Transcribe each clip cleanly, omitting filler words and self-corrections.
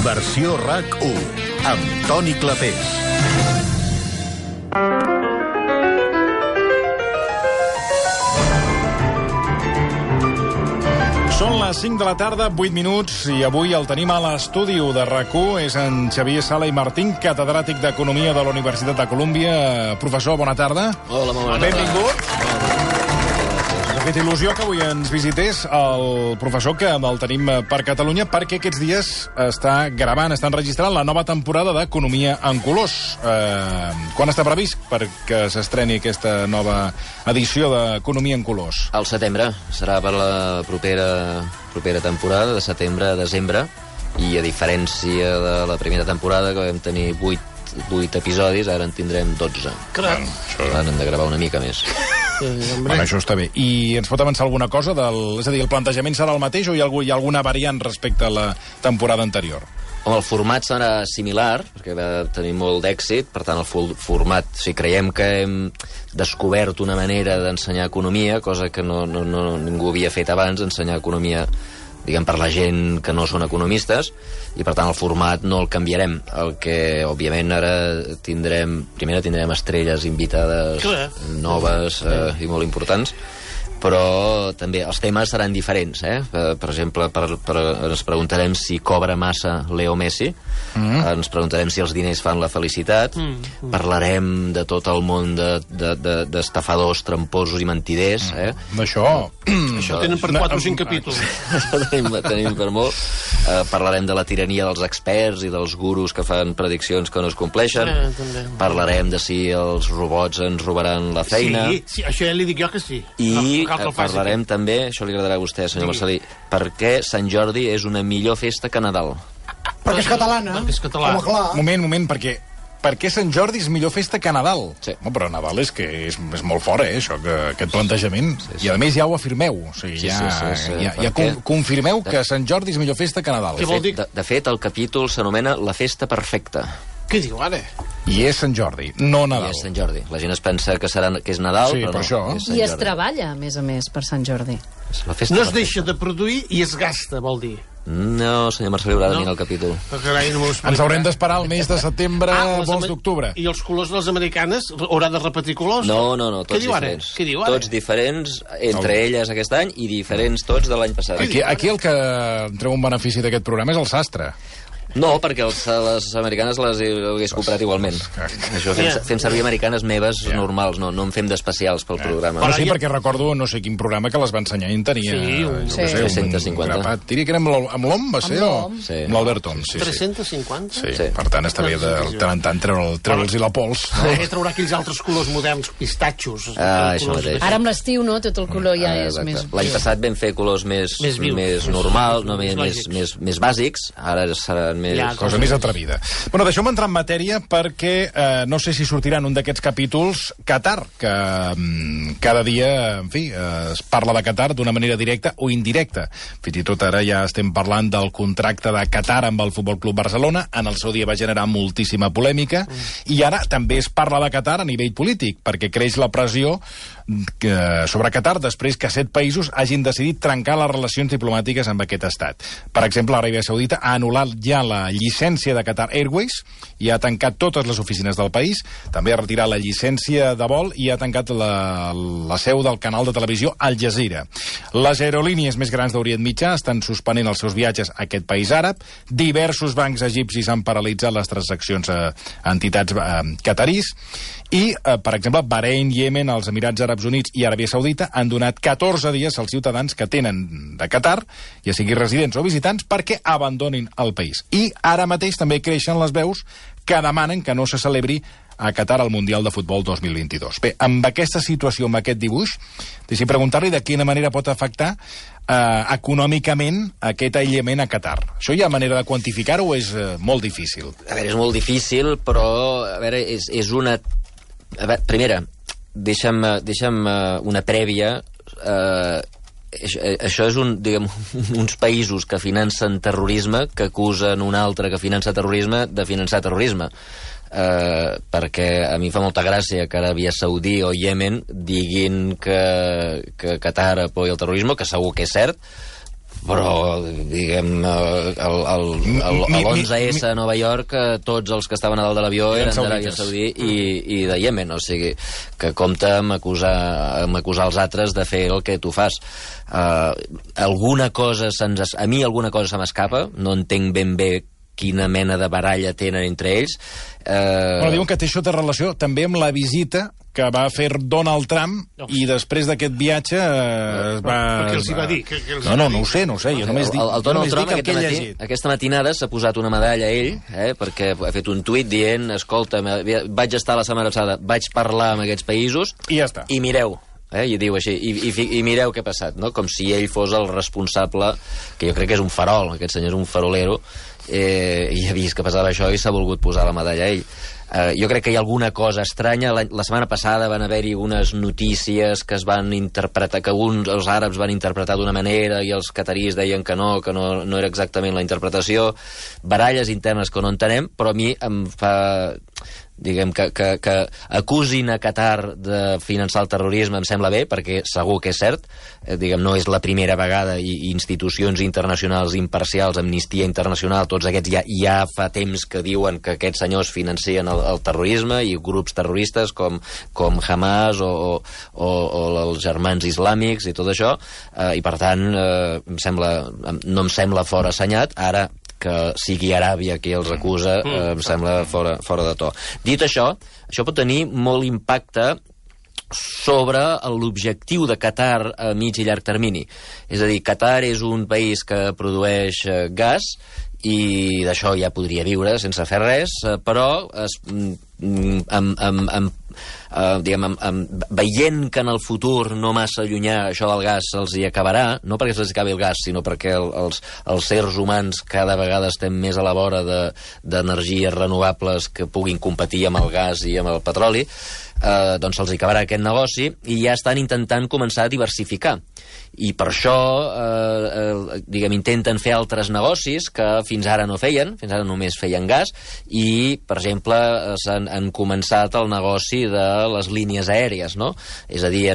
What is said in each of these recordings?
Versió RAC1, amb Toni Clapés. Són les 5 de la tarda, 8 minuts, i avui el tenim a l'estudi de RAC1. És en Xavier Sala i Martín, catedràtic d'Economia de la Universitat de Colúmbia. Professor, bona tarda. Hola, bona tarda. Benvingut. M'ha fet il·lusió que avui ens visités el professor, que el tenim per Catalunya, perquè aquests dies està gravant, està enregistrant la nova temporada d'Economia en Colors. Quan està previst perquè s'estreni aquesta nova edició d'Economia en Colors? Al setembre. Serà per la propera temporada, de setembre a desembre, i a diferència de la primera temporada, que vam tenir 8 episodis, ara en tindrem 12. Caram. Ara hem de gravar una mica més. Bueno, això està bé. I ens pot avançar alguna cosa? És a dir, el plantejament serà el mateix o hi ha alguna variant respecte a la temporada anterior? Home, el format serà similar, perquè va tenir molt d'èxit, per tant, el format, si creiem que hem descobert una manera d'ensenyar economia, cosa que ningú havia fet abans, ensenyar economia, diguem, per la gent que no són economistes, i per tant el format no el canviarem. El que, òbviament, ara tindrem estrelles invitades noves i molt importants, però també els temes seran diferents, eh? Per exemple, ens preguntarem si cobra massa Leo Messi, ens preguntarem si els diners fan la felicitat, parlarem de tot el món d'estafadors, tramposos i mentiders, eh? Això tenen per 4 o 5 capítols. Tenim per molt. Parlarem de la tirania dels experts i dels gurus que fan prediccions que no es compleixen. Parlarem de si els robots ens robaran la feina. Sí, això ja li dic jo que sí. I parlarem també, això li agradarà a vostè, senyor Marcelí, per què Sant Jordi és una millor festa que Nadal. Perquè és catalana. Perquè és català. Home, clar. Moment, per què Sant Jordi és millor festa que Nadal? Sí. No, però Nadal és que és molt fora, això, aquest plantejament. Sí. I a més ja ho afirmeu. O sigui, ja confirmeu que Sant Jordi és millor festa que Nadal. De fet, el capítol s'anomena La festa perfecta. Què diu ara? I és Sant Jordi, no Nadal. I és Sant Jordi. La gent es pensa que és Nadal, sí, però no. Això. I es treballa, a més, per Sant Jordi. No es deixa de produir i es gasta, vol dir. No, senyor Marcelí, haurà de mirar el capítol. Ens haurem d'esperar el mes de setembre, vols d'octubre. I els colors de les americanes haurà de repetir colors? No, tots diferents. Què diu ara? Tots diferents, entre elles aquest any, i diferents tots de l'any passat. Aquí el que treu un benefici d'aquest programa és el sastre. No, perquè les americanes les hagués comprat igualment. Això, fem servir americanes meves normals, no en fem d'especials pel programa. Però sí, perquè recordo no sé quin programa que les va ensenyar i en tenia... Sí, 350. Diria que era amb l'OM, va ser? Amb l'Albert Om, sí. 350? Sí, per tant està bé de tant en tant treure'ls i la pols. Traurà aquells altres colors moderns, pistatxos. Això mateix. Ara amb l'estiu, no? Tot el color ja és més... L'any passat vam fer colors més normals, més bàsics, ara seran cosa més atrevida. Bueno, deixeu-me entrar en matèria perquè no sé si sortirà en un d'aquests capítols Qatar, que cada dia, en fi, es parla de Qatar d'una manera directa o indirecta. Fins i tot ara ja estem parlant del contracte de Qatar amb el Futbol Club Barcelona. En el seu dia va generar moltíssima polèmica i ara també es parla de Qatar a nivell polític, perquè creix la pressió sobre Qatar després que 7 països hagin decidit trencar les relacions diplomàtiques amb aquest estat. Per exemple, l'Aràbia Saudita ha anul·lat ja la llicència de Qatar Airways i ha tancat totes les oficines del país, també ha retirat la llicència de vol i ha tancat la seu del canal de televisió Al Jazeera. Les aerolínies més grans d'Orient Mitjà estan suspenent els seus viatges a aquest país àrab, diversos bancs egipcis han paralitzat les transaccions a entitats qatarís i, per exemple, Bahrein, Iemen, els Emirats Àrabs Units i Aràbia Saudita han donat 14 dies als ciutadans que tenen de Qatar, ja sigui residents o visitants, perquè abandonin el país. I ara mateix també creixen les veus que demanen que no se celebri a Qatar el Mundial de Futbol 2022. Bé, amb aquesta situació, amb aquest dibuix, deixi preguntar-li de quina manera pot afectar econòmicament aquest aïllament a Qatar. Això hi ha manera de quantificar-ho o és molt difícil? A veure, és molt difícil, però a veure, és una... A veure, primera, deixa'm una prèvia. Això és uns països que financen terrorisme, que acusen un altre que finança terrorisme de finançar terrorisme. Perquè a mi fa molta gràcia que Aràbia Saudí o Iemen diguin que Qatar apoya el terrorisme, que segur que és cert, però, diguem, l'11S a Nova York, tots els que estaven a dalt de l'avió eren d'Aràbia Saudí i de Iemen, o sigui, que compta amb acusar els altres de fer el que tu fas. Alguna cosa a mi alguna cosa se m'escapa, no entenc ben bé quina mena de baralla tenen entre ells. Bueno, diuen que té això de relació també amb la visita que va fer Donald Trump i després d'aquest viatge es va... Perquè els hi va dir. No ho sé, jo només dic... El Donald Trump aquesta matinada s'ha posat una medalla a ell, perquè ha fet un tuit dient, escolta, vaig estar la setmana passada, vaig parlar amb aquests països i ja està. I mireu, i diu així, i mireu què ha passat, no? Com si ell fos el responsable, que jo crec que és un farol, aquest senyor és un farolero, i ha vist que passava això i s'ha volgut posar la medalla a ell. Jo crec que hi ha alguna cosa estranya. La setmana passada van haver-hi unes notícies que es van interpretar, que els àrabs van interpretar d'una manera i els cataris deien que no era exactament la interpretació. Baralles internes que no entenem, però a mi em fa... diguem, que acusin a Qatar de finançar el terrorisme em sembla bé, perquè segur que és cert. Diguem, no és la primera vegada, i institucions internacionals imparcials, Amnistia Internacional, tots aquests ja fa temps que diuen que aquests senyors financien el terrorisme, i grups terroristes com Hamas o els germans islàmics i tot això, i per tant no em sembla fora assenyat. Ara que sigui Aràbia qui els acusa, em sembla fora de to. Dit això, això pot tenir molt impacte sobre l'objectiu de Qatar a mig i llarg termini. És a dir, Qatar és un país que produeix gas i d'això ja podria viure sense fer res, però veient que en el futur no massa llunyà això del gas se'ls hi acabarà, no perquè se'ls acabi el gas, sinó perquè els sers humans cada vegada estem més a la vora d'energies renovables que puguin competir amb el gas i amb el petroli, doncs se'ls acabarà aquest negoci i ja estan intentant començar a diversificar. I per això intenten fer altres negocis que fins ara no feien, fins ara només feien gas, i, per exemple, han començat el negoci de les línies aèries, no? És a dir,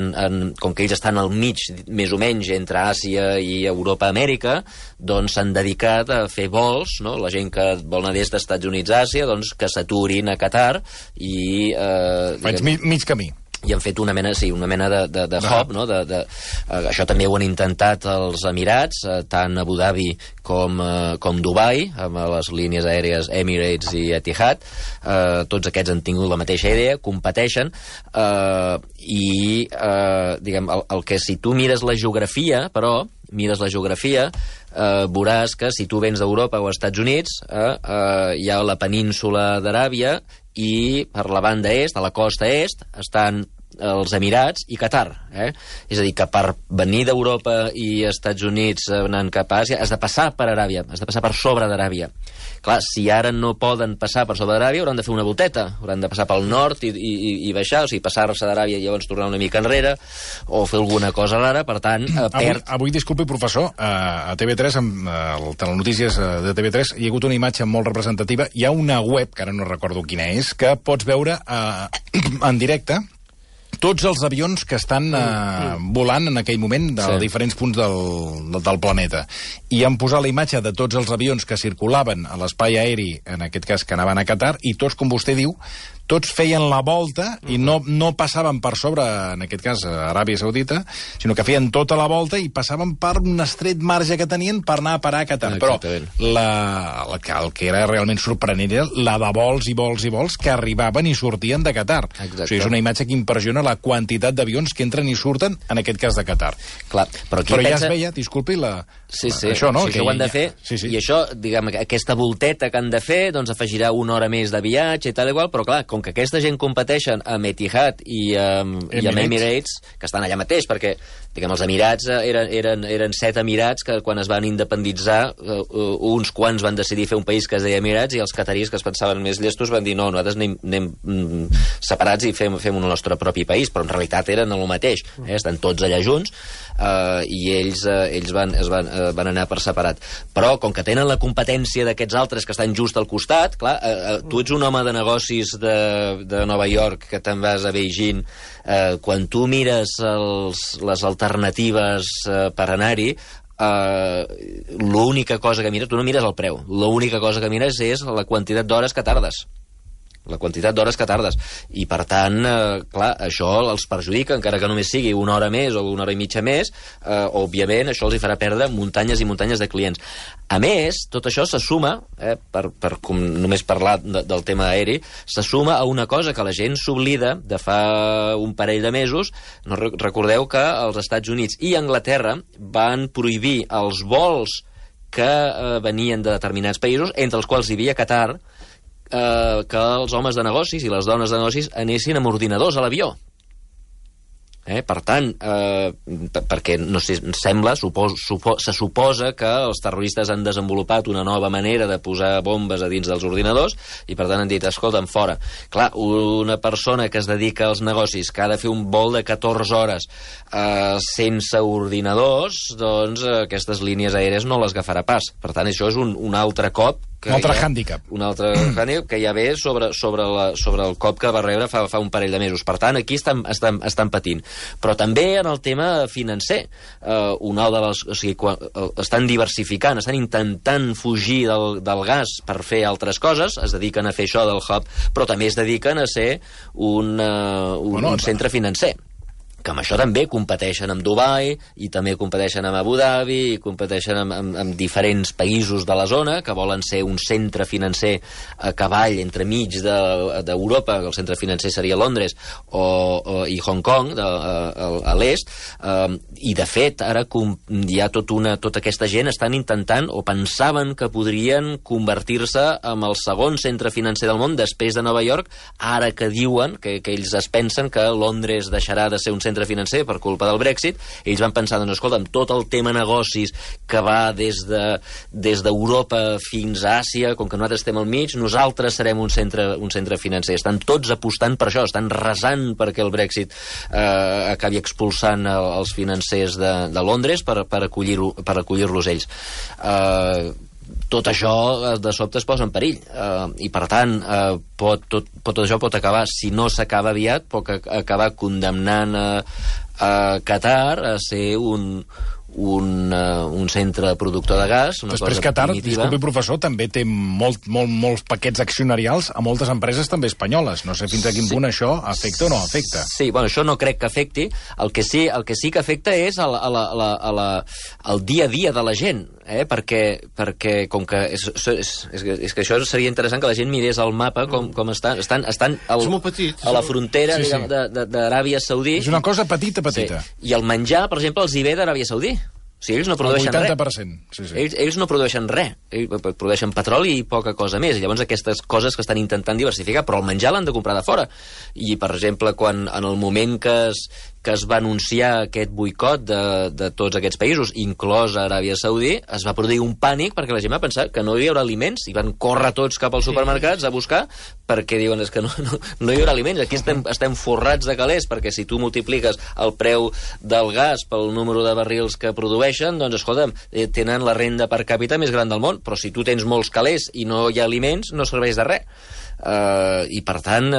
com que ells estan al mig, més o menys, entre Àsia i Europa-Amèrica, doncs s'han dedicat a fer vols, no? La gent que vol anar des dels Estats Units a Àsia, doncs que s'aturin a Qatar i... Faig mig camí. I han fet una mena de hub, no? Això també ho han intentat els Emirats, tant Abu Dhabi com Dubai, amb les línies aèries Emirates i Etihad. Tots aquests han tingut la mateixa idea, competeixen, i el que si tu mires la geografia, però veuràs que si tu vens d'Europa o als Estats Units, hi ha la península d'Aràbia, i per la banda est, a la costa est, estan els Emirats i Qatar. És a dir, que per venir d'Europa i Estats Units anant cap a Àsia has de passar per Aràbia, has de passar per sobre d'Aràbia. Clar, si ara no poden passar per sobre d'Aràbia, hauran de fer una volteta, hauran de passar pel nord i baixar, o sigui, passar-se d'Aràbia i llavors tornar una mica enrere, o fer alguna cosa rara, per tant, perd... Avui, disculpi, professor, a TV3, el Telenotícies de TV3, hi ha hagut una imatge molt representativa. Hi ha una web, que ara no recordo quina és, que pots veure en directe tots els avions que estan volant en aquell moment de diferents punts del planeta. I han posat la imatge de tots els avions que circulaven a l'espai aeri, en aquest cas que anaven a Qatar, i tots, com vostè diu, tots feien la volta i no passaven per sobre, en aquest cas, Aràbia Saudita, sinó que feien tota la volta i passaven per un estret marge que tenien per anar a parar a Qatar. Però el que era realment sorprenent era la de vols i vols i vols que arribaven i sortien de Qatar. O sigui, és una imatge que impressiona la quantitat d'avions que entren i surten, en aquest cas, de Qatar. Clar, però ja es veia, disculpi, això, no? Això ho han de fer, i això, diguem, aquesta volteta que han de fer, doncs afegirà una hora més de viatge i tal igual, però clar, com que aquesta gent competeixen amb Etihad i amb Emirates, que estan allà mateix, perquè, diguem, els Emirats eren 7 Emirats que quan es van independitzar, uns quants van decidir fer un país que es deia Emirats, i els cataris, que es pensaven més llestos, van dir, no, nosaltres anem separats i fem el nostre propi país, però en realitat eren el mateix, estan tots allà junts, i ells van anar per separat. Però, com que tenen la competència d'aquests altres que estan just al costat, clar, tu ets un home de negocis de Nova York, que te'n vas a Beijing, quan tu mires les alternatives per anar-hi, l'única cosa que mires, tu no mires el preu, l'única cosa que mires és la quantitat d'hores que tardes. I per tant, clar, això els perjudica, encara que només sigui una hora més o una hora i mitja més, òbviament això els hi farà perdre muntanyes i muntanyes de clients. A més, tot això se suma, per només parlar del tema aeri, se suma a una cosa que la gent s'oblida de fa un parell de mesos. No recordeu que els Estats Units i Anglaterra van prohibir els vols que venien de determinats països, entre els quals hi havia Qatar, que els homes de negocis i les dones de negocis anessin amb ordinadors a l'avió. Per tant, perquè no sé, sembla, se suposa que els terroristes han desenvolupat una nova manera de posar bombes a dins dels ordinadors i per tant han dit, escolta'm, fora. Clar, una persona que es dedica als negocis, que ha de fer un vol de 14 hores sense ordinadors, doncs aquestes línies aèries no les agafarà pas. Per tant, això és un altre cop, un altre hàndicap que ja ve sobre el cop que va rebre fa un parell de mesos. Per tant, aquí estan patint. Però també en el tema financer, estan diversificant, estan intentant fugir del gas per fer altres coses, es dediquen a fer això del hub, però també es dediquen a ser un centre financer, que amb això també competeixen amb Dubai i també competeixen amb Abu Dhabi i competeixen amb diferents països de la zona que volen ser un centre financer a cavall entremig d'Europa, que el centre financer seria Londres i Hong Kong a l'est, i de fet ara hi ha tota aquesta gent estan intentant o pensaven que podrien convertir-se en el segon centre financer del món després de Nova York, ara que diuen que ells es pensen que Londres deixarà de ser un centre financer per culpa del Brexit. Ells van pensar, doncs escolta, amb tot el tema negocis que va des d'Europa fins a Àsia, com que nosaltres estem al mig, nosaltres serem un centre financer. Estan tots apostant per això, estan resant perquè el Brexit acabi expulsant els financers de Londres per acollir-los ells. Tot això de sobte es posa en perill i per tant tot això pot acabar, si no s'acaba aviat, pot acabar condemnant a Qatar a ser un centre productor de gas, una Després cosa Qatar, primitiva. disculpi professor, també té molts paquets accionarials a moltes empreses també espanyoles. No sé fins a quin punt això afecta o no afecta. Sí, bueno, això no crec que afecti. El que sí que afecta és el dia a dia de la gent, perquè com que és que això seria interessant que la gent mirés el mapa com estan a la frontera, diguem, d'Aràbia Saudí. És una cosa petita. Sí. I el menjar, per exemple, els hi ve d'Aràbia Saudí. O sigui, ells no produeixen res. El 80%. Sí. Ells no produeixen res. Ells produeixen petroli i poca cosa més. I llavors aquestes coses que estan intentant diversificar, però el menjar l'han de comprar de fora. I, per exemple, quan en el moment que es va anunciar aquest boicot de tots aquests països, inclòs Aràbia Saudí, es va produir un pànic perquè la gent va pensar que no hi haurà aliments i van córrer tots cap als supermercats a buscar perquè diuen, és que no hi haurà aliments. Aquí estem forrats de calés perquè si tu multipliques el preu del gas pel número de barrils que produeixen, doncs, escolta'm, tenen la renda per càpita més gran del món, però si tu tens molts calés i no hi ha aliments, no serveix de res. I, per tant,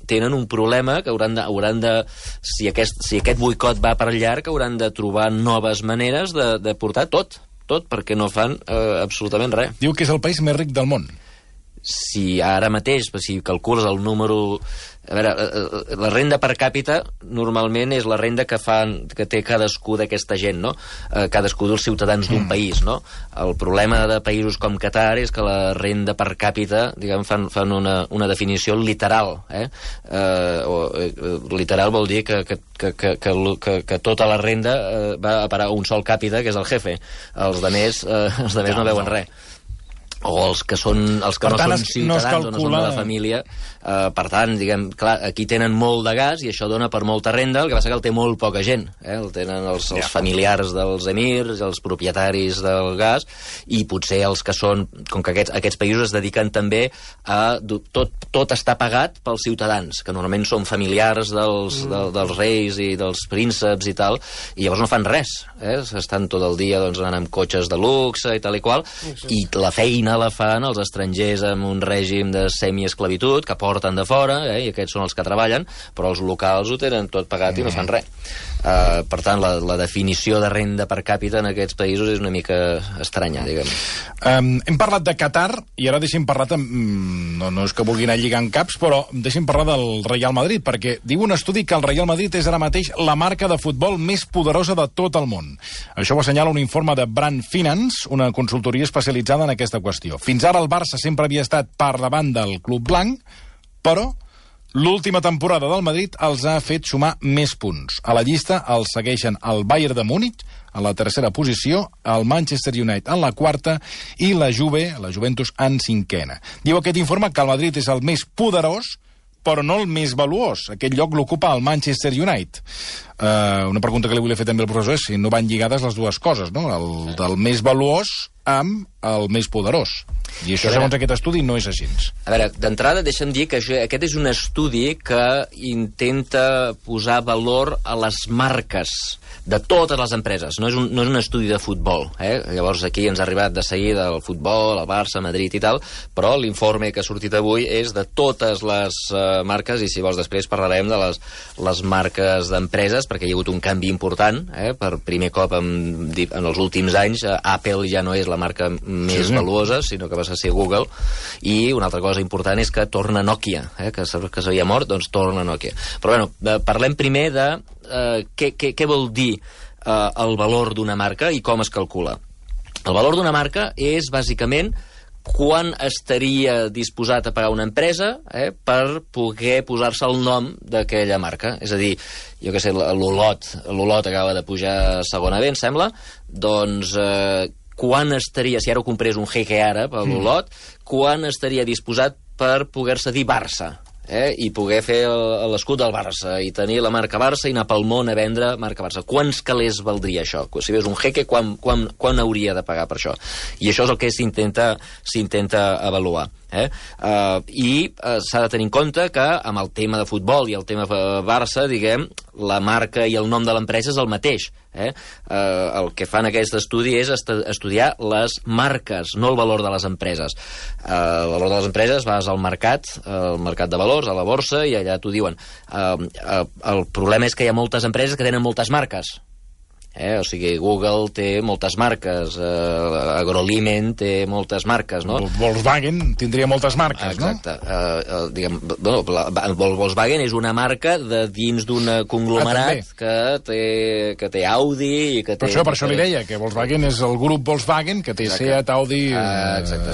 tenen un problema que hauran de si aquest boicot va per llarg, hauran de trobar noves maneres de portar tot, perquè no fan absolutament res. Diu que és el país més ric del món. Si ara mateix, si calcules el número... A veure, la renda per càpita normalment és la renda que té cadascú d'aquesta gent, no? Cadascú dels ciutadans d'un país, no? El problema de països com Qatar és que la renda per càpita, diguem, fan una definició literal, literal vol dir que tota la renda va a parar a un sol càpita, que és el jefe. Els demés no veuen res. O els que no són ciutadans o no són de la família. Per tant, diguem, clar, aquí tenen molt de gas i això dona per molta renda, el que passa que el té molt poca gent. El tenen els familiars dels emirs, els propietaris del gas, i potser els que són, com que aquests països es dediquen també a... Tot està pagat pels ciutadans, que normalment són familiars dels reis i dels prínceps i tal, i llavors no fan res. Estan tot el dia anant amb cotxes de luxe i tal i qual, i la feina la fan els estrangers amb un règim de semiesclavitud que porten de fora, i aquests són els que treballen, però els locals ho tenen tot pagat i no fan res. Per tant, la definició de renda per càpita en aquests països és una mica estranya, diguem. Hem parlat de Qatar, i ara deixem parlar... No és que vulgui anar lligant caps, però deixem parlar del Real Madrid, perquè diu un estudi que el Real Madrid és ara mateix la marca de futbol més poderosa de tot el món. Això ho assenyala un informe de Brand Finance, una consultoria especialitzada en aquesta qüestió. Fins ara el Barça sempre havia estat per davant del club blanc, però l'última temporada del Madrid els ha fet sumar més punts. A la llista els segueixen el Bayern de Múnich, a la tercera posició, el Manchester United en la quarta i la Juventus en cinquena. Diu aquest informe que el Madrid és el més poderós, però no el més valuós. Aquest lloc l'ocupa el Manchester United. Una pregunta que li volia fer també al professor és si no van lligades les dues coses, no? El del més valuós amb el més poderós. I això, segons aquest estudi, no és així. A veure, d'entrada, deixa'm dir que aquest és un estudi que intenta posar valor a les marques de totes les empreses. No és un estudi de futbol. Llavors, aquí ens ha arribat de seguida el futbol, el Barça, Madrid i tal, però l'informe que ha sortit avui és de totes les marques, i si vols després parlarem de les marques d'empreses, perquè hi ha hagut un canvi important. Per primer cop en els últims anys, Apple ja no és la marca més valuosa, sinó que va a ser Google, i una altra cosa important és que torna Nokia, que s'havia mort, doncs torna Nokia. Però bueno, parlem primer de què vol dir el valor d'una marca i com es calcula. El valor d'una marca és, bàsicament, quan estaria disposat a pagar una empresa per poder posar-se el nom d'aquella marca. És a dir, jo què sé, l'Olot acaba de pujar a segona B, em sembla, doncs quan estaria, si ara ho comprés un jeque àrab a l'Olot, quan estaria disposat per poder-se dir Barça, i poder fer l'escut del Barça i tenir la marca Barça i anar pel món a vendre marca Barça. Quants calés valdria això? Si veus un jeque, quan hauria de pagar per això? I això és el que s'intenta avaluar. I s'ha de tenir en compte que amb el tema de futbol i el tema Barça, diguem, la marca i el nom de l'empresa és el mateix. El que fan aquest estudi és estudiar les marques, no el valor de les empreses. El valor de les empreses vas al mercat de valors, a la borsa, i allà t'ho diuen. El problema és que hi ha moltes empreses que tenen moltes marques. O sigui, Google té moltes marques, Agrolimen té moltes marques, no? Volkswagen tindria moltes marques, no? Exacte. Volkswagen és una marca de dins d'un conglomerat que té Audi i que té... Per això li deia, que Volkswagen és el grup Volkswagen, que té Seat, Audi,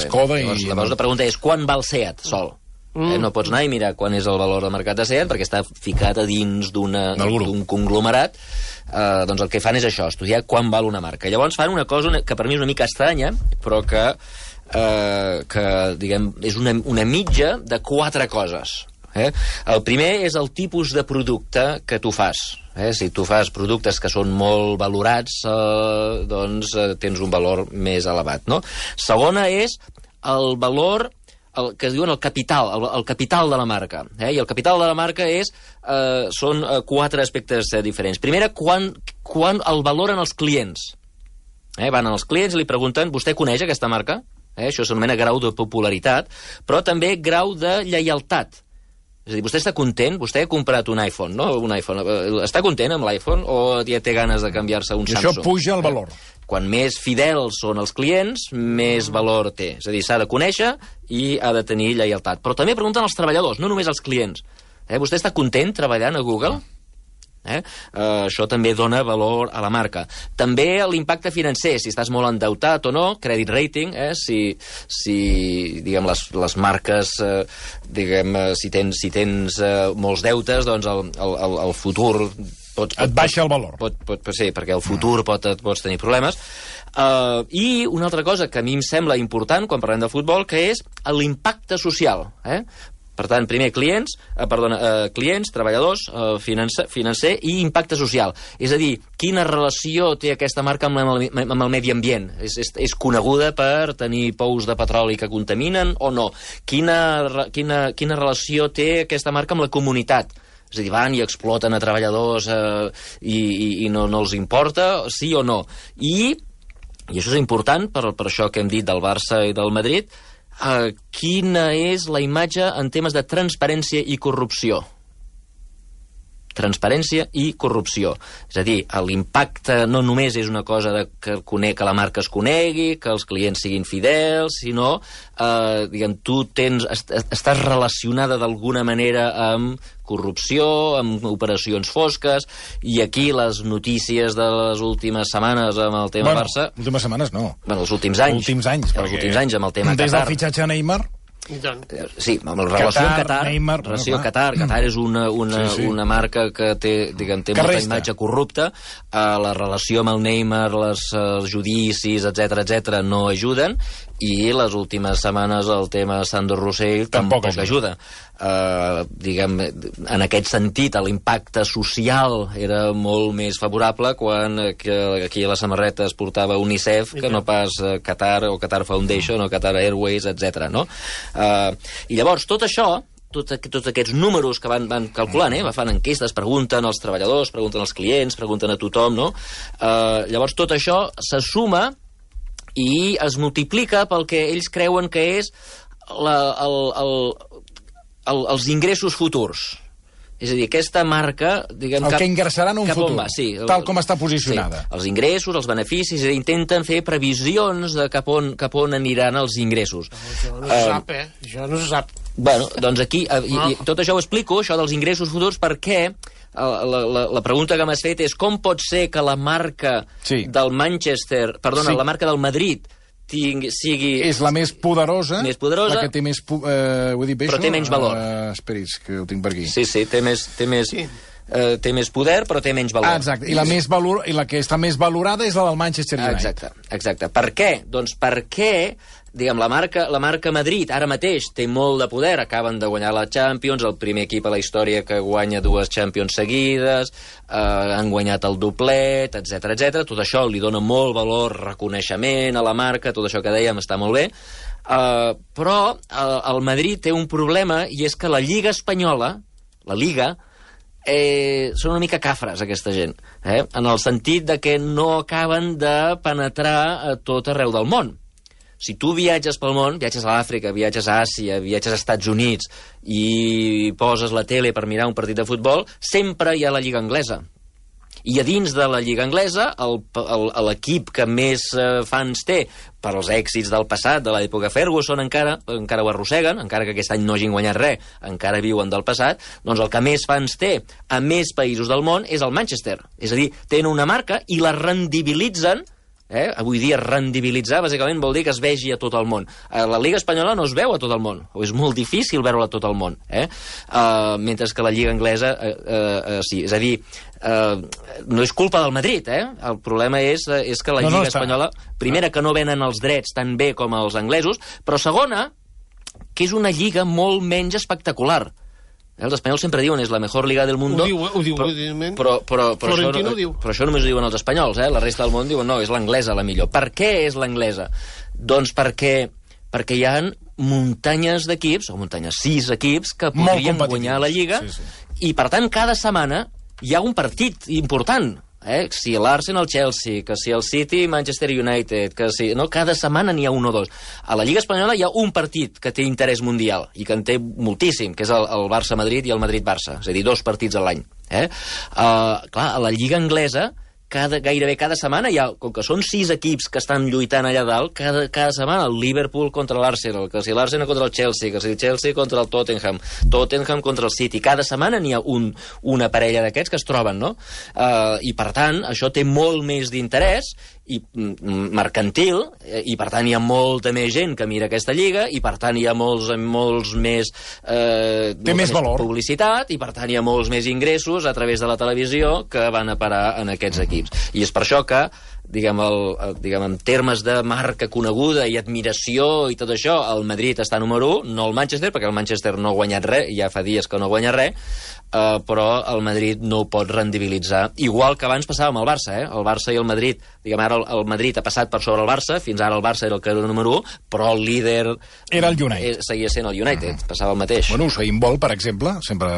Skoda i... Llavors la pregunta és, quan val Seat sol? No pots anar i mirar quan és el valor de mercat de Seat, perquè està ficat a dins d'un conglomerat. Doncs el que fan és això, estudiar quan val una marca. Llavors fan una cosa que per mi és una mica estranya, però que diguem, és una mitja de 4 coses. El primer és el tipus de producte que tu fas. Si tu fas productes que són molt valorats, doncs tens un valor més elevat, no? Segona és el valor que es diuen el capital de la marca. I el capital de la marca són 4 aspectes diferents. Primera, quan el valoren els clients. Van als clients i li pregunten, vostè coneix aquesta marca? Això s'anomena grau de popularitat, però també grau de lleialtat. És a dir, vostè està content? Vostè ha comprat un iPhone, no? Està content amb l'iPhone o ja té ganes de canviar-se a un Samsung? I això puja el valor. Quan més fidels són els clients, més valor té. És a dir, s'ha de conèixer i ha de tenir lleialtat. Però també pregunten als treballadors, no només als clients. Vostè està content treballant a Google? Això també dona valor a la marca. També l'impacte financer, si estàs molt endeutat o no, credit rating, si diguem, les marques, diguem, si tens molts deutes, doncs el futur et baixa el valor. Sí, perquè el futur pots tenir problemes. I una altra cosa que a mi em sembla important quan parlem de futbol, que és l'impacte social. Per tant, primer clients, treballadors, financer i impacte social. És a dir, quina relació té aquesta marca amb el medi ambient? És coneguda per tenir pous de petroli que contaminen o no? Quina relació té aquesta marca amb la comunitat? És a dir, van i exploten a treballadors i no els importa, sí o no? I això és important per això que hem dit del Barça i del Madrid. Quina és la imatge en temes de transparència i corrupció? transparència i corrupció. És a dir, l'impacte no només és una cosa que la marca es conegui, que els clients siguin fidels, sinó, tu estàs relacionada d'alguna manera amb corrupció, amb operacions fosques, i aquí les notícies de les últimes setmanes amb el tema Barça... Últimes setmanes no. Els últims anys. Els últims anys amb el tema Qatar. Des del fitxatge a Neymar... Sí, amb la relació amb Qatar, Neymar, Qatar és una marca que té molta imatge corrupta, la relació amb el Neymar, els judicis, etc no ajuden, i les últimes setmanes el tema Sandro Rossell tampoc ajuda. En aquest sentit, l'impacte social era molt més favorable quan aquí a la samarreta es portava UNICEF que no pas Qatar o Qatar Foundation o Qatar Airways, etc. No? I llavors, tot això, tots aquests números que van calculant, fan enquestes, pregunten als treballadors, pregunten als clients, pregunten a tothom, no? Llavors tot això se suma i es multiplica pel que ells creuen que és els ingressos futurs. És a dir, aquesta marca... El que ingressarà en un futur, tal com està posicionada. Sí, els ingressos, els beneficis, intenten fer previsions de cap on aniran els ingressos. Això no se sap, Això no se sap. Bueno, doncs aquí, tot això ho explico, això dels ingressos futurs, perquè la pregunta que m'has fet és com pot ser que la marca del Manchester... Perdona, la marca del Madrid sigui... És la més poderosa, la que té més... però té menys valor. Esperis, que ho tinc per aquí. Sí, té més poder, però té menys valor. Exacte, i la que està més valorada és la del Manchester United. Exacte. Per què? Doncs perquè, la marca Madrid ara mateix té molt de poder, acaben de guanyar la Champions, el primer equip a la història que guanya 2 Champions seguides, han guanyat el doblet, etc. Tot això li dona molt valor, reconeixement a la marca, tot això que dèiem està molt bé, però el Madrid té un problema, i és que la Lliga Espanyola, la Liga, són una mica cafres, aquesta gent, en el sentit de que no acaben de penetrar a tot arreu del món. Si tu viatges pel món, viatges a l'Àfrica, viatges a Àsia, viatges als Estats Units i poses la tele per mirar un partit de futbol, sempre hi ha la Lliga Anglesa. I a dins de la Lliga Anglesa, l'equip que més fans té per als èxits del passat, de l'època Ferguson, encara ho arrosseguen, encara que aquest any no hagin guanyat res, encara viuen del passat, doncs el que més fans té a més països del món és el Manchester. És a dir, tenen una marca i la rendibilitzen. Avui dia rendibilitzar bàsicament vol dir que es vegi a tot el món. La Lliga Espanyola no es veu a tot el món, o és molt difícil veure-la a tot el món, mentre que la Lliga Anglesa sí. És a dir, no és culpa del Madrid, el problema és que la Lliga Espanyola, primera, que no venen els drets tan bé com els anglesos, però segona, que és una lliga molt menys espectacular. Els espanyols sempre diuen és la millor liga del món. Ho diu, però això només ho diuen els espanyols, la resta del món diuen no, és l'anglesa la millor. Per què és l'anglesa? Doncs perquè hi ha muntanyes d'equips, 6 equips que podrien guanyar la lliga, i per tant cada setmana hi ha un partit important. Si l'Arsenal, Chelsea, que si el City, Manchester United, que si... No, cada setmana n'hi ha 1 o 2. A la Lliga Espanyola hi ha un partit que té interès mundial, i que en té moltíssim, que és el Barça-Madrid i el Madrid-Barça, és a dir, 2 partits a l'any. Clar, a la Lliga Anglesa, gairebé cada setmana hi ha, com que són 6 equips que estan lluitant allà dalt, cada setmana el Liverpool contra l'Arsenal, que si l'Arsenal contra el Chelsea, que si el Chelsea contra el Tottenham contra el City, cada setmana n'hi ha una parella d'aquests que es troben, no? I per tant, això té molt més d'interès i mercantil, i per tant hi ha molta més gent que mira aquesta lliga, i per tant hi ha molts més té més valor, publicitat, i per tant hi ha molts més ingressos a través de la televisió que van a parar en aquests equips. I és per això que, diguem, en termes de marca coneguda i admiració i tot això, el Madrid està número 1, no el Manchester, perquè el Manchester no ha guanyat res, ja fa dies que no guanya res, però el Madrid no ho pot rendibilitzar. Igual que abans passava amb el Barça, el Barça i el Madrid, diguem, ara el Madrid ha passat per sobre el Barça, fins ara el Barça era el que era el número 1, però el líder era el United. Seguia sent el United, passava el mateix. Bueno, Usain Bolt, per exemple, sempre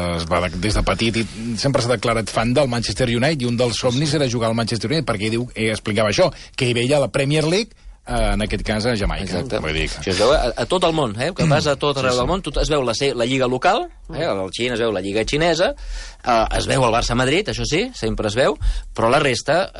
des de petit i sempre s'ha declarat fan del Manchester United, i un dels somnis era jugar al Manchester United, perquè explicava això, que ell veia la Premier League en aquest cas, a Jamaica. Exacte. Vull dir que... Això es veu a tot el món, que vas a tot arreu del món, es veu la lliga local, al Xina es veu la lliga xinesa, es veu el Barça-Madrid, això sí, sempre es veu, però la resta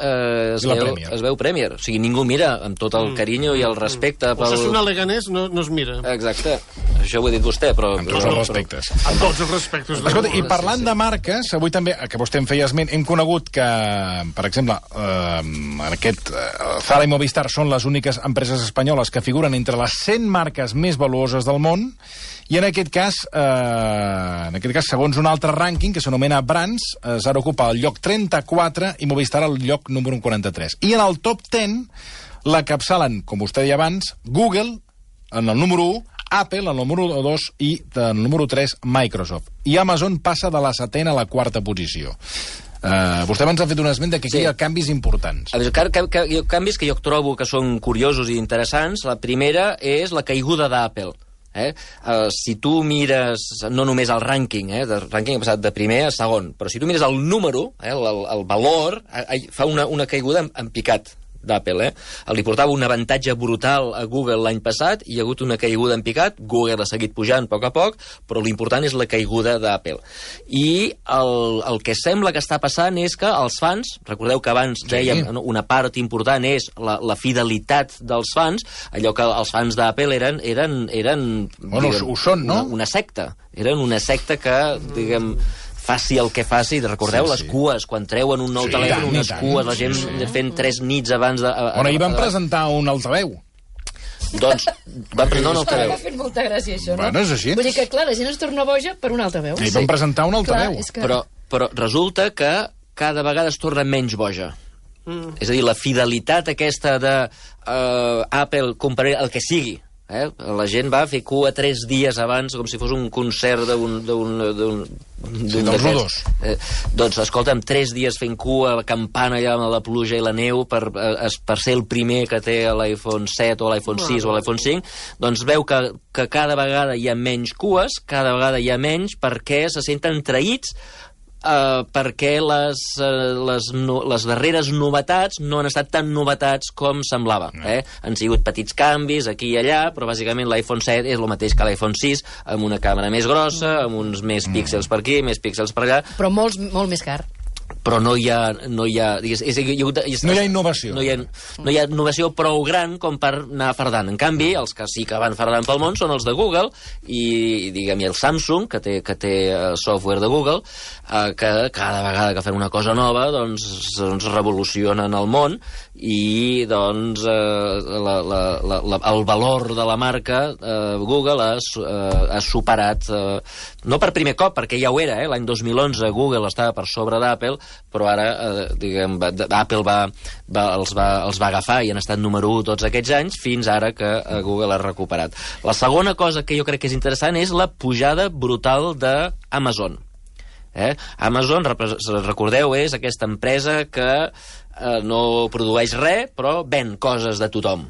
es veu Premier. O sigui, ningú mira amb tot el carinyo i el respecte pel... Osasuna Leganés no es mira. Exacte. Això ho he dit vostè, però... Amb tots els respectes. Amb tots els respectes. Escolta, i parlant de marques, avui també, que vostè em feia esment, hem conegut que, per exemple, Zara i Movistar són les úniques empreses espanyoles que figuren entre les 100 marques més valuoses del món, i en aquest cas, segons un altre rànquing que s'anomena Brands, Zara ocupa el lloc 34 i Movistar el lloc número 43. I en el top 10 la capçalen, com vostè deia abans, Google en el número 1, Apple en el número 2 i en el número 3 Microsoft. I Amazon passa de la 7ª a la 4ª posició. Vostè abans ha fet un esment que aquí hi ha canvis importants. Canvis que jo trobo que són curiosos i interessants. La primera és la caiguda d'Apple. Si tu mires no només el rànquing, el rànquing ha passat de primer a segon, però si tu mires el número, el valor, fa una caiguda en picat d'Apple. Li portava un avantatge brutal a Google l'any passat, hi ha hagut una caiguda en picat, Google ha seguit pujant a poc, però l'important és la caiguda d'Apple. I el que sembla que està passant és que els fans, recordeu que abans dèiem, una part important és la fidelitat dels fans, allò que els fans d'Apple eren bueno, ho són, no? Una secta. Eren una secta que, diguem, faci el que faci, recordeu les cues, quan treuen un nou telèfon, unes cues, la gent fent 3 nits abans de... Bueno, ahir van presentar un altaveu. Doncs van presentar un altaveu. M'ha fet molta gràcia, això, no? Bueno, és així. Vull dir que, clar, la gent es torna boja per un altaveu. Ahir van presentar un altaveu. Però resulta que cada vegada es torna menys boja. És a dir, la fidelitat aquesta de Apple, compraré el que sigui, la gent va fer cua 3 dies abans, com si fos un concert dels rodos. Doncs, escolta'm, 3 dies fent cua, campana allà amb la pluja i la neu per ser el primer que té l'iPhone 7 o l'iPhone 6 o l'iPhone 5, doncs veu que cada vegada hi ha menys cues, cada vegada hi ha menys perquè se senten traïts, perquè les darreres novetats no han estat tan novetats com semblava. Han sigut petits canvis aquí i allà, però bàsicament l'iPhone 7 és el mateix que l'iPhone 6, amb una càmera més grossa, amb uns més píxels per aquí, més píxels per allà. Però molt més car. Però no hi ha innovació. No hi ha innovació prou gran com per anar fardant. En canvi, els que sí que van fardant pel món són els de Google i, diguem, el Samsung, que té software de Google, que cada vegada que fan una cosa nova doncs revolucionen el món i doncs el valor de la marca Google ha superat, no per primer cop, perquè ja ho era, l'any 2011 Google estava per sobre d'Apple, però ara, diguem, Apple els va agafar i han estat número 1 tots aquests anys, fins ara que Google ha recuperat. La segona cosa que jo crec que és interessant és la pujada brutal d'Amazon. Amazon, recordeu, és aquesta empresa que no produeix res, però ven coses de tothom.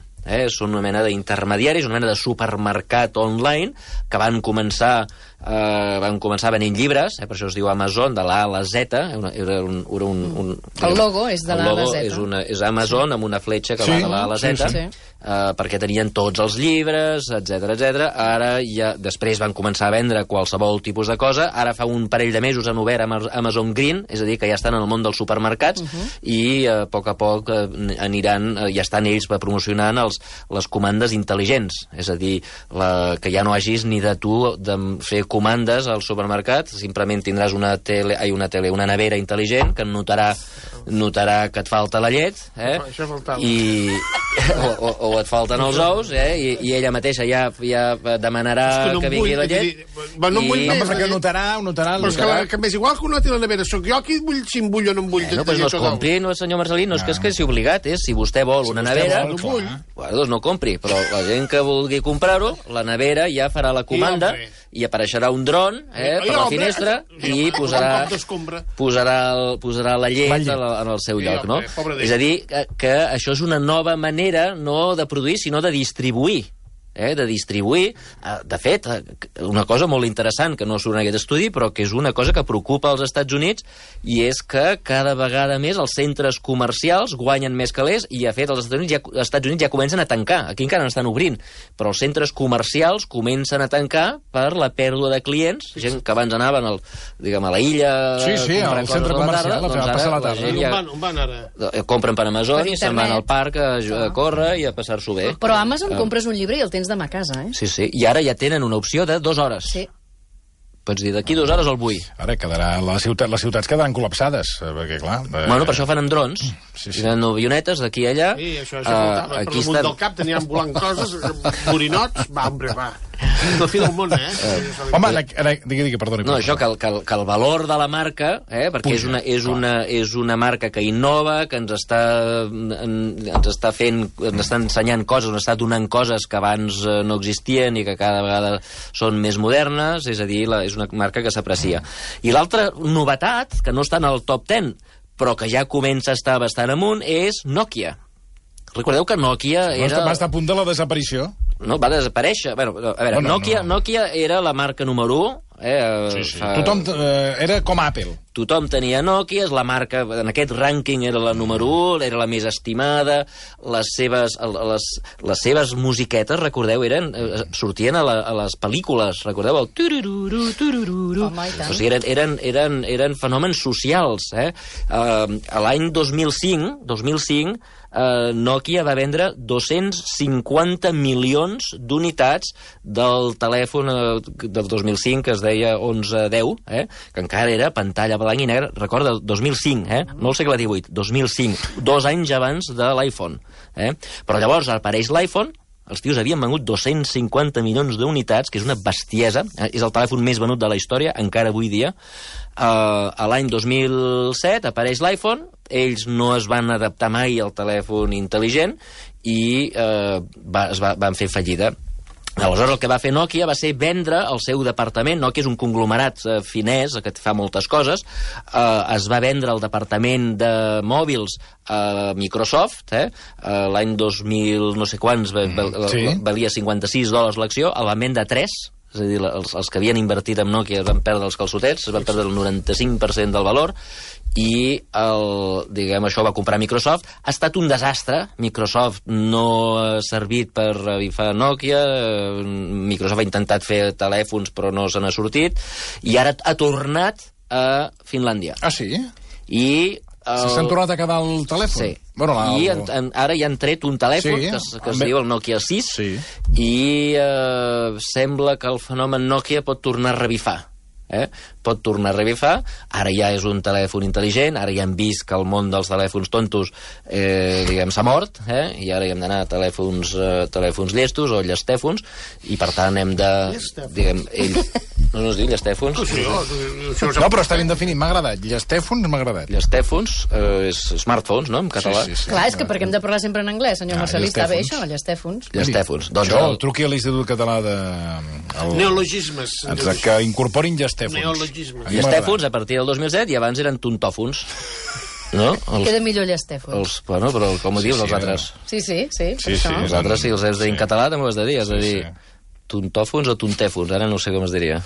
Són una mena d'intermediaris, una mena de supermercat online que van començar venent llibres, per això es diu Amazon, de l'A a la Z. El logo és de l'A a la Z. És Amazon amb una fletxa que va de l'A a la Z, perquè tenien tots els llibres, etc. Ara després van començar a vendre qualsevol tipus de cosa. Ara fa un parell de mesos han obert Amazon Green, és a dir, que ja estan en el món dels supermercats i a poc ja estan ells promocionant les comandes intel·ligents, és a dir, que ja no hagis ni de tu de fer comandes al supermercat, simplement tindràs una nevera intel·ligent que notarà que et falta la llet, o et falten els ous, i ella mateixa ja demanarà que vingui la llet. Perquè ho notarà. Però és que m'és igual que no té la nevera, sóc jo qui vull, si em vull o no em vull. No es compri, senyor Marcelí, no és que sigui obligat, si vostè vol una nevera, doncs no compri, però la gent que vulgui comprar-ho, la nevera ja farà la comanda i apareixerà un dron per la finestra i posarà la llet en el seu lloc, no? És a dir, que això és una nova manera no de produir, sinó de distribuir. de distribuir. De fet, una cosa molt interessant, que no surt en aquest estudi, però que és una cosa que preocupa als Estats Units, i és que cada vegada més els centres comercials guanyen més calés, i de fet els Estats Units ja comencen a tancar. Aquí encara n'estan obrint, però els centres comercials comencen a tancar per la pèrdua de clients, gent que abans anaven a la illa al centre comercial, a passar la tarda. On van ara? Compren per Amazon i se'n van al parc a córrer i a passar-s'ho bé. Però a Amazon compres un llibre i el tens demà a casa, eh? Sí, i ara ja tenen una opció de 2 hores. Sí. Pots dir, d'aquí 2 hores el vull. Ara quedarà les ciutats quedaran col·lapsades, perquè, clar... Bueno, per això fan amb drons. Tenen avionetes d'aquí a allà. Sí, això per damunt del cap tenien volant coses, borinots, va. És el fi del món, Home, digui, perdoni. No, això, que el valor de la marca, perquè és una marca que innova, que ens està ensenyant coses, ens està donant coses que abans no existien i que cada vegada són més modernes, és a dir, és una marca que s'aprecia. I l'altra novetat, que no està en el top 10, però que ja comença a estar bastant amunt, és Nokia. Recordeu que Nokia era... Va estar a punt de la desaparició. No, va desaparèixer. A veure, Nokia era la marca número 1. Tothom era com Apple. Tothom tenia Nokia, és la marca, en aquest rànquing era la número 1, era la més estimada, les seves musiquetes, recordeu, sortien a les pel·lícules, recordeu? El turururu, turururu. O sigui, eren fenòmens socials. A l'any 2005, Nokia va vendre 250 milions d'unitats del telèfon del 2005, que es deia 1110, que encara era pantalla blanc i negre, recorda, el 2005, no el segle XVIII, 2005, 2 anys abans de l'iPhone. Però llavors apareix l'iPhone, els tios havien venut 250 milions d'unitats, que és una bestiesa, és el telèfon més venut de la història, encara avui dia. A l'any 2007 apareix l'iPhone, ells no es van adaptar mai al telèfon intel·ligent i van fer fallida. Aleshores, el que va fer Nokia va ser vendre el seu departament. Nokia és un conglomerat finès que fa moltes coses. Es va vendre el departament de mòbils a Microsoft. L'any 2000, no sé quants, valia $56 l'acció. El van vendre a 3. És a dir, els que havien invertit en Nokia es van perdre els calçotets, es van perdre el 95% del valor, i això va comprar Microsoft. Ha estat un desastre. Microsoft no ha servit per revifar Nokia, Microsoft ha intentat fer telèfons però no se n'ha sortit, i ara ha tornat a Finlàndia. Ah, sí? I s'han tornat a quedar el telèfon? Sí. I ara ja han tret un telèfon que es diu el Nokia 6 i sembla que el fenomen Nokia pot tornar a revifar. Pot tornar a revifar. Ara ja és un telèfon intel·ligent, ara ja hem vist que el món dels telèfons tontos s'ha mort, i ara hi hem d'anar a telèfons llestos o llestèfons, i per tant hem de... No es diu llestèfons? No, però està ben definit, m'ha agradat. Llestèfons m'ha agradat. Llestèfons és smartphones, no?, en català. Clar, és que perquè hem de parlar sempre en anglès, senyor Marcelí, està bé això, llestèfons. Llestèfons. Això, truqui a l'Institut Català de... Neologismes. Que incorporin llestèfons. Llestèfons a partir del 2007 i abans eren tontòfons. No? Queda millor llestèfons. Bueno, però com ho dius els altres? Sí. Els altres, si els has de dir en català, també ho has de dir. És a dir, tontòfons o tontèfons, ara no sé com es diria.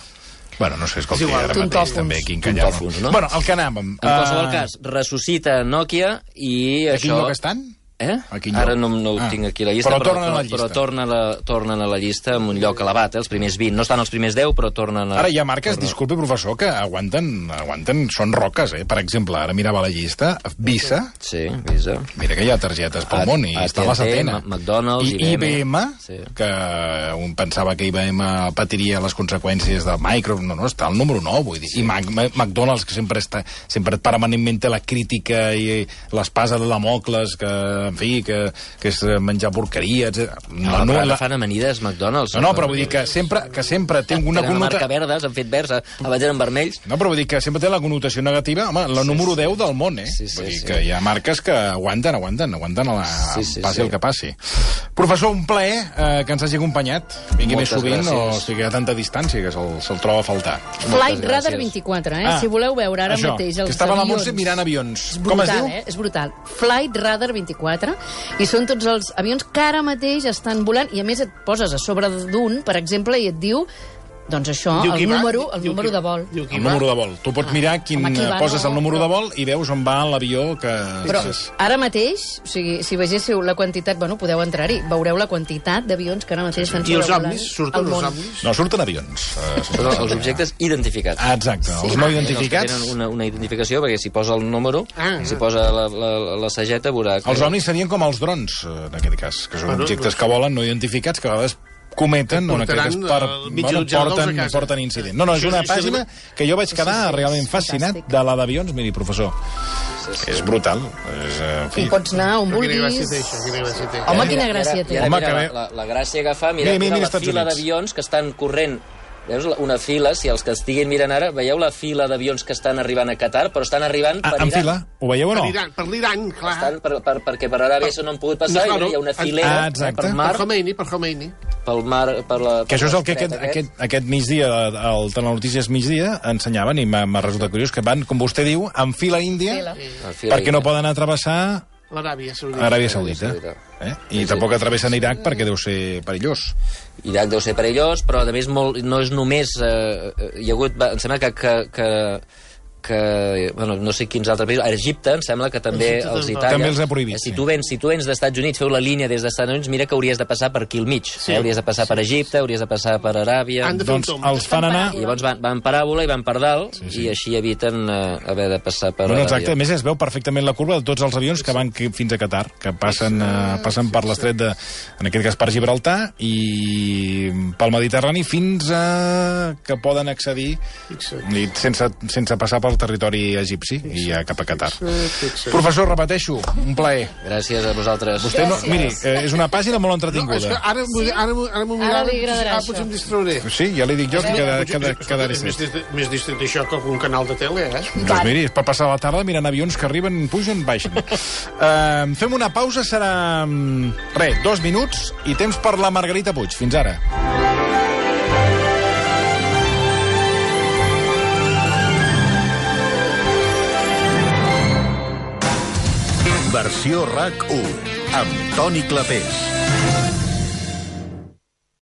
Bueno, no sé, escolti, ara mateix també aquí encanyar. No? Bueno, el que anàvem... En qualsevol cas, ressuscita Nokia i això... A quin lloc estan? Ara no ho tinc aquí a la llista, però tornen a la llista. Però tornen a la llista en un lloc elevat, els primers 20. No estan els primers 10, però tornen a... Ara hi ha marques, disculpi, professor, que aguanten, són roques, Per exemple, ara mirava la llista, Visa. Sí, Visa. Mira que hi ha targetes pel món i està a la setena. McDonald's, IBM, que un pensava que IBM patiria les conseqüències de Microsoft, no, està al número 9, vull dir. I McDonald's, que sempre permanentment té la crítica i l'espasa de Damocles, que en fi, que és menjar porqueria, etc. No fan amanides McDonald's. No, però vull dir que sempre té una connotació... Tenen marca verda, s'han fet verds, abans eren vermells. No, però vull dir que sempre té la connotació negativa, home, la número 10 del món, Vull dir que hi ha marques que aguanten passi el que passi. Professor, un plaer que ens hagi acompanyat. Vingui més sovint, o sigui, a tanta distància que se'l troba a faltar. Flight Radar 24, Si voleu veure ara mateix els avions... Que estava a la Montse mirant avions. Com es diu? És brutal. Flight Radar 24. etc. I són tots els avions que ara mateix estan volant, i a més et poses a sobre d'un, per exemple, i et diu doncs això, el número de vol. El número de vol. Tu pots mirar poses el número de vol i veus on va l'avió que... Però ara mateix, o sigui, si vegéssiu la quantitat, bueno, podeu entrar-hi, veureu la quantitat d'avions que ara mateix estan sobrevolant. I els ovnis? Surten els ovnis? No, surten avions. Són els objectes identificats. Exacte, els no identificats. Tenen una identificació, perquè si posa el número, si posa la sageta, veurà... Els ovnis serien com els drons, en aquest cas, que són objectes que volen no identificats, que a vegades cometen o porten incident. No, és una pàgina que jo vaig quedar realment fascinat de la d'avions. Miri, professor, és brutal. I pots anar on vulguis. Home, quina gràcia té. La gràcia que fa, mira la fila d'avions que estan corrent. Veus una fila, si els que estiguin mirant ara, veieu la fila d'avions que estan arribant a Qatar, però estan arribant per Iran. En fila? Ho veieu o no? Per l'Iran, clar. Perquè per Aràbia no han pogut passar, i hi ha una filera per mar. Per Khomeini. Pel mar... Que això és el que aquest migdia, al Telenotícies Migdia, ensenyaven, i m'ha resultat curiós, que van, com vostè diu, en fila índia, perquè no poden travessar l'Aràbia Saudita. I tampoc travessen Iraq perquè deu ser perillós. Iraq deu ser perillós, però a més no és només... Hi ha hagut... Em sembla bueno, no sé quins altres països, a Egipte em sembla que també els Itàlia... També els ha prohibit, si tu vens d'Estats Units, feu la línia des dels Estats Units, mira que hauries de passar per aquí al mig. Hauries de passar per Egipte, hauries de passar per Aràbia... Doncs els fan anar... I llavors van paràbola i van per dalt, i així eviten haver de passar per Aràbia. Exacte, a més es veu perfectament la curva de tots els avions que van fins a Qatar, que passen per l'estret de... En aquest cas per Gibraltar, i pel Mediterrani fins a... que poden accedir sense passar pel territori egipci i cap a Qatar. Professor, repeteixo, un plaer. Gràcies a vosaltres. Vostè miri, és una pàgina molt entretinguda. Ara m'ho mirarà, potser em distrauré. Sí, ja li dic jo que quedaré més distret això que un canal de tele, Doncs miri, és per passar la tarda mirant avions que arriben, pugen, baixen. Fem una pausa, serà 2 minuts i temps per la Margarita Puig. Fins ara. Versió RAC 1, amb Toni Clapés.